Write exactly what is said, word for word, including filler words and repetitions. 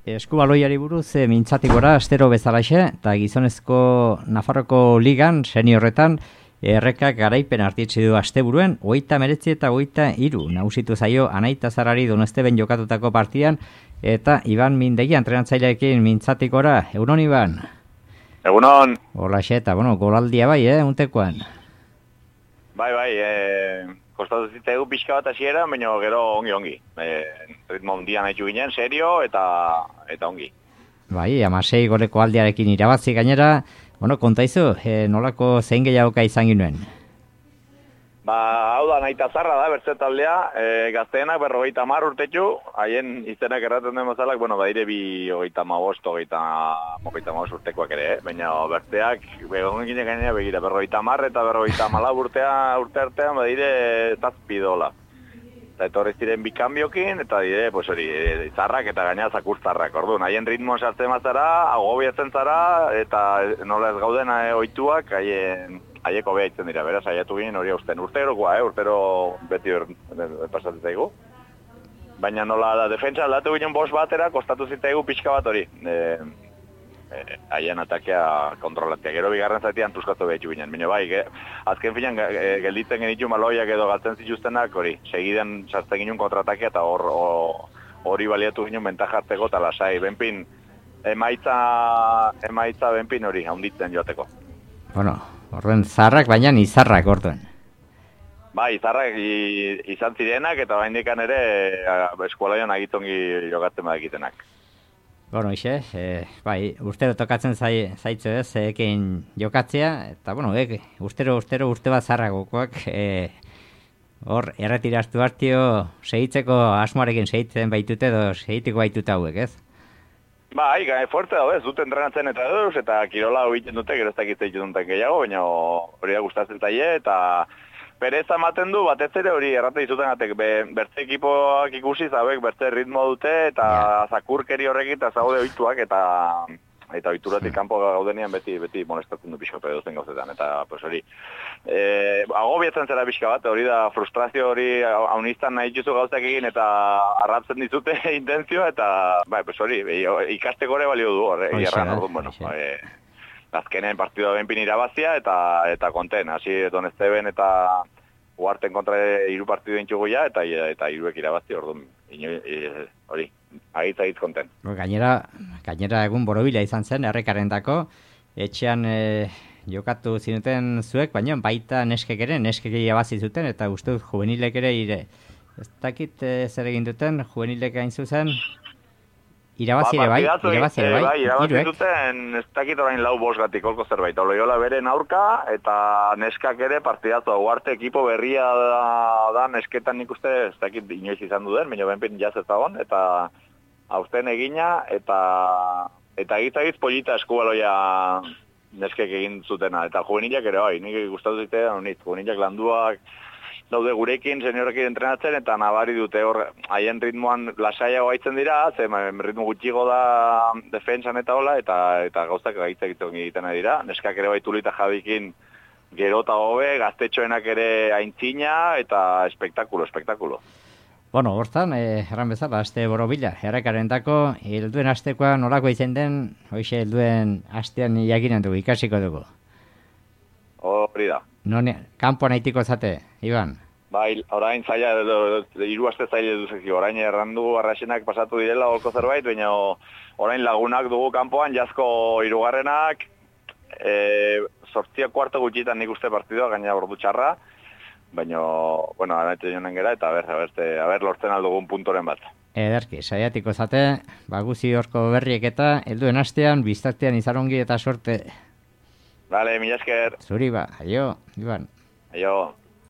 Eskubaloiari buruz e, mintzatik gora astero bezalaxe eta gizonezko Nafarroko ligan seniorretan errekak garaipen artitzi du asteburuen hogeita hemeretzi eta hogeita hiru nagusitu zaio Anaita Zarrari Donosteben jokatutako partidan eta Iban Mindegi entrenatzaileekin mintzatik gora. Egunon, Iban? Egunon. Holaxe eta, bueno, golaldia bai, eh, untekoan. Bai, bai, eh, kostatu zitegu pixka bat hasiera, baina gero ongi-ongi. Eh, ritmo hundian haitu ginen, serio eta eta ongi. Bai, amasei goleko aldiarekin irabazi gainera, bueno, kontaizu, eh, nolako zein gehiagoka izan ginuen? Ba, hau da, Anaita Zarra da, bertze taldea, e, gazteenak berrogeita hamar urtetxu, haien izenak erraten den bezalak, bueno, badire bi hogeita hamabost, hogeita hamabost urtekoak ere, eh? Baina berteak, begon gine gainera begira, berrogeita hamar eta berrogeita hamalau urtea, urte artean, badire zazpi dola. Eta etorri ziren bikanbiokin, eta dire, pues hori, e, zarrak eta gainera zakurzarrak, orduan, haien ritmo sartzen mazara, agobiatzen zara, eta nola ez gauden e, oituak, haien... Haieko beha itzen dira, beraz, haiatu ginen hori hausten. Urterokoa, eh? Urtero beti pasatzen zaigu. Baina nola da, defentsa aldatu ginen bost batera, kostatu zitaigu pixka bat hori. E, e, haien atakea kontrolatzea. Gero bigarren zaitean tuskatu behitu ginen. Baina bai, ge, azken finan e, gelditzen genitu maloiak edo galtzen zituztenak, hori, segidan sartzen ginen kontratakea eta hor hori baliatu ginen bentajarteko eta lasai. Benpin, emaitza, emaitza benpin hori, haunditzen joateko. Bueno, horren zarrak, baina izarrak orduen. Ba, izarrak izan zirenak eta bain dikan ere eskualaian agitongi jokatzen badakitenak. Bueno, ixe, e, bai, urtero tokatzen zai, zaitzu ez, ekin jokatzea, eta bueno, e, urtero, urtero, urte bat zarragokoak, e, hor, erretiraztu hartio, segitzeko asmoarekin segitzen baitute edo segitiko baitute hauek, ez? Bai, gai, fuerte da, ez, dut entrenatzen eta edos, eta kirola hobiten dute, gero ez dakitze dituten gehiago, baina hori da gustatzen zaie, eta pereza ematen du, batez ere hori errate dizuten atek, be, bertze ekipoak ikusi, zabek, bertze ritmo dute, eta yeah. Zakurkeri horrekin, eta zaude oituak, eta eta oituratik kanpo gaudenian beti beti molestatzen du pixka pedozen gauzetan, eta pues hori, e, agobiatzen zera pixka bat, hori da frustrazio hori haunistan nahi dituzu gauzak egin, eta arratzen dizute intentzioa, eta bai, pues hori, ikasteko ere balio du, hori, erran, orduan, bueno, e, azkenen partidua benpin irabazia, eta eta konten, hasi Donosteben eta Uarten kontra hiru partidu entzugu ja, eta eta hiruek irabazi, orduan, e, hori, agitza hitz konten. Gainera, gainera egun borobila izan zen, errekarendako, etxean e, jokatu zinuten zuek, baina baita neskek ere, neskek irabazi zuten, eta uste dut juvenilek ere ire. Ez dakit e, zer egin duten, juvenilek hain zuzen, irabazi ere bai, irabazi ere bai, bai, irabazi zuten, ez dakit orain lau bost gatik olko zerbait, Oloiola beren aurka, eta neskak ere partidatua, Uarte ekipo berria da, da nesketan nik uste, ez dakit inoiz izan duden, baina benpin jaz ez dagoen, eta hausten egina, eta eta egitzagiz polita eskubaloia neskek egin zutena, eta juvenilak ere bai, nik gustatu zite, honit, juvenilak landuak, daude gurekin, seniorekin entrenatzen, eta nabari dute hor, haien ritmoan lasaiago haitzen dira, ze ritmo gutxigo da defensan eta hola, eta, eta gauzak gaitza egiten dira. Neskak ere baitu eta Javikin gero eta hobe, gaztetxoenak ere aintzina, eta espektakulo, espektakulo. Bueno, hortan, eh, erran bezala, aste borobila, errekarentako, helduen astekoa nolako izan den, hoxe helduen astean jakinen dugu, ikasiko dugu. Hori da. None, kanpoan haitiko zate, Iban? Bai, orain zaila, hiru aste zaila duzeki, orain errandu arrasenak pasatu direla olko zerbait, baina orain lagunak dugu kanpoan, jazko hirugarrenak, e, sortzia kuarto gutxitan nik uste partidua, gaina ordu txarra, baina, bueno, anaite jonen gera, eta aber, aber, aber lortzen aldugun puntoren bat. Ederki, saiatiko zate, baguzi horko berriek eta, helduen astean, biztartean izarongi eta sorte. Vale, mila esker. Zuri ba, aio, Iban. Aio.